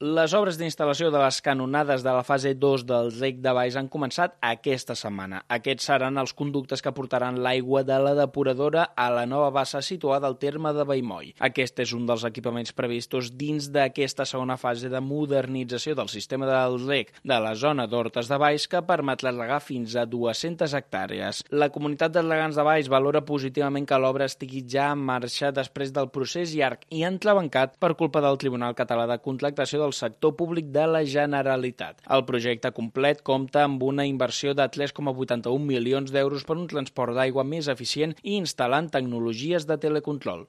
Les obres d'instal·lació de les canonades de la fase 2 del rec de Valls han començat aquesta setmana. Aquests seran els conductes que portaran l'aigua de la depuradora a la nova bassa situada al terme de Vallmoll. Aquest és un dels equipaments previstos dins d'aquesta segona fase de modernització del sistema del rec de la zona d'Hortes de Valls que permetrà regar fins a 200 hectàrees. La comunitat de regants de Valls valora positivament que l'obra estigui ja en marxa després del procés llarg i entrebancat per culpa del Tribunal Català de Contractació del sector públic de la Generalitat. El projecte complet compta amb una inversió de 3,81 milions d'euros per un transport d'aigua més eficient i instal·lant tecnologies de telecontrol.